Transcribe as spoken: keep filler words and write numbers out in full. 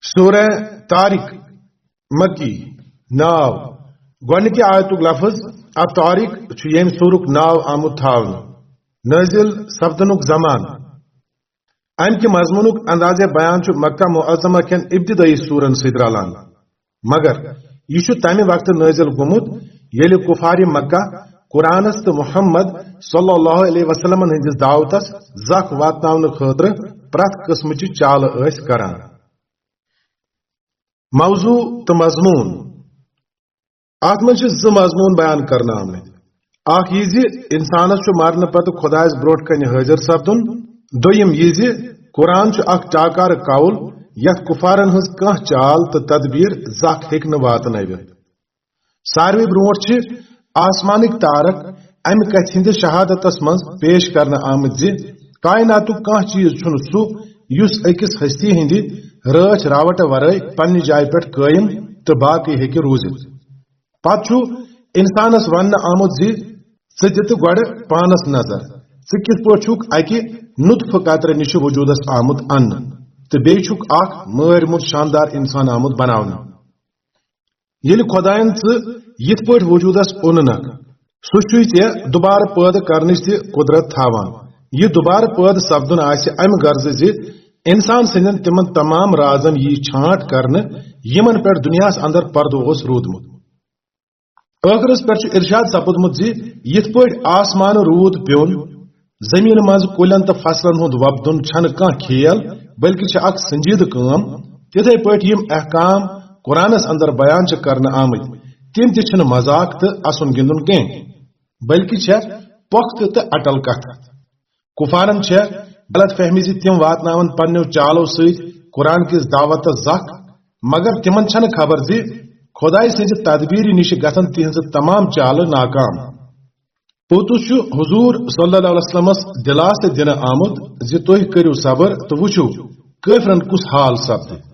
سورہ طارق، مکی۔ ناو، گۄڈنِکہِ آیتُک لفظ الطارق چھُ ییٚمہِ سورُک ناو آمُت تھاونہٕ۔ نٲزِل سپدنُک زمانہٕ۔ امہِ کہِ مضموٗنُک اندازِ بیان چھُ مکہ معظمہ کٮ۪ن ابتدٲئی سورن سۭتۍ رلان، مگر یہِ چھُ تمہِ وقتہٕ نٲزِل گوٚمُت ییٚلہِ کفارِ مکہ قرآنس تہٕ محمد صلی اللہ علیہ وسلمن ہٕنٛدِس دعوتس زکھ واتناونہٕ خٲطرٕ پرٛٮ۪تھ قٕسمٕچہِ چالہٕ ٲسۍ کران۔ موضوع تہٕ مضموٗن۔ اتھ منٛز چھِ زٕ مضموٗن بیان کرنہٕ آمٕتۍ۔ اکھ یہِ زِ انسانس چھُ مرنہٕ پتہٕ خۄدایس برٛونٛٹھ کنہِ حٲضِر سپدُن۔ دوٚیِم یہِ زِ قرآن چھُ اکھ ٹاکارٕ قول، یتھ کفارن ہٕنٛز کانٛہہ چال تہٕ تدبیر زکھ ہیٚکہِ نہٕ واتنٲوِتھ۔ ساروٕے برٛونٛٹھ چھِ آسمانٕکۍ تارک امہِ کتھِ ہٕنٛدِس شہادتس منٛز پیش کرنہٕ آمٕتۍ زِ کائناتُک کانٛہہ چیز چھُنہٕ سُہ یُس أکِس ہستی ہٕنٛدِ رٲچھ راوٹہٕ ورٲے پننہِ جایہِ پٮ۪ٹھ قٲیِم تہٕ باقٕے ہیٚکہِ روٗزِتھ۔ پتہٕ چھُ انسانس وننہٕ آمُت زِ ژٕ دِ تہٕ گۄڈٕ پانس نظر، ژٕ کِتھ پٲٹھۍ چھُکھ اکہِ نطفہٕ قطرٕ نِشہِ وجوٗدس آمُت اننہٕ تہٕ بیٚیہِ چھُکھ اکھ مٲرۍ موٚت شاندار انسان آمُت بناونہٕ۔ ییٚلہِ خۄدایَن ژٕ یِتھ پٲٹھۍ وجوٗدس اوٚننکھ، سُہ چھُے ژےٚ دُبارٕ پٲدٕ کرنٕچ تہِ قدرت تھاوان۔ یہِ دُبارٕ پٲدٕ سپدُن آسہِ امہِ غرضہٕ زِ انسان سٕنٛدٮ۪ن تِمن تمام رازن یی چھانٹ کرنہٕ، یِمن پٮ۪ٹھ دُنیاہس اندر پردٕ اوس روٗدمُت۔ ٲخرس پٮ۪ٹھ چھُ ارشاد سپُدمُت زِ یِتھ پٲٹھۍ آسمانہٕ روٗد پیوٚن، زمینہٕ منٛز کُلٮ۪ن تہٕ فصلن ہُنٛد وۄپدُن چھنہٕ کانٛہہ کھیل، بلکہِ چھِ اکھ سنجیدٕ کٲم۔ تِتھے پٲٹھۍ یِم احکام قرآنس اندر بیان چھِ کرنہٕ آمٕتۍ، تِم تہِ چھِنہٕ مذاق تہٕ اسُن گِنٛدُن کینٛہہ، بلکہِ چھےٚ پۄختہٕ تہٕ اٹل کتھ۔ کفارن چھےٚ غلط فہمی زِ تِم واتناون پننیو چالو سۭتۍ قرآن کِس دعوتس زکھ، مگر تِمن چھنہٕ خبر زِ خۄدایہِ سٕنٛزِ تدبیرِ نِشہِ گژھن تِہنٛزٕ تمام چالہٕ ناکام۔ پوٚتُس چھُ حضور صلی اللہ علیہ وسلمس دِلاسہٕ دِنہٕ آمُت زِ تُہۍ کٔرِو صبر تہٕ وٕچھِو کٲفرن کُس حال سپدِ۔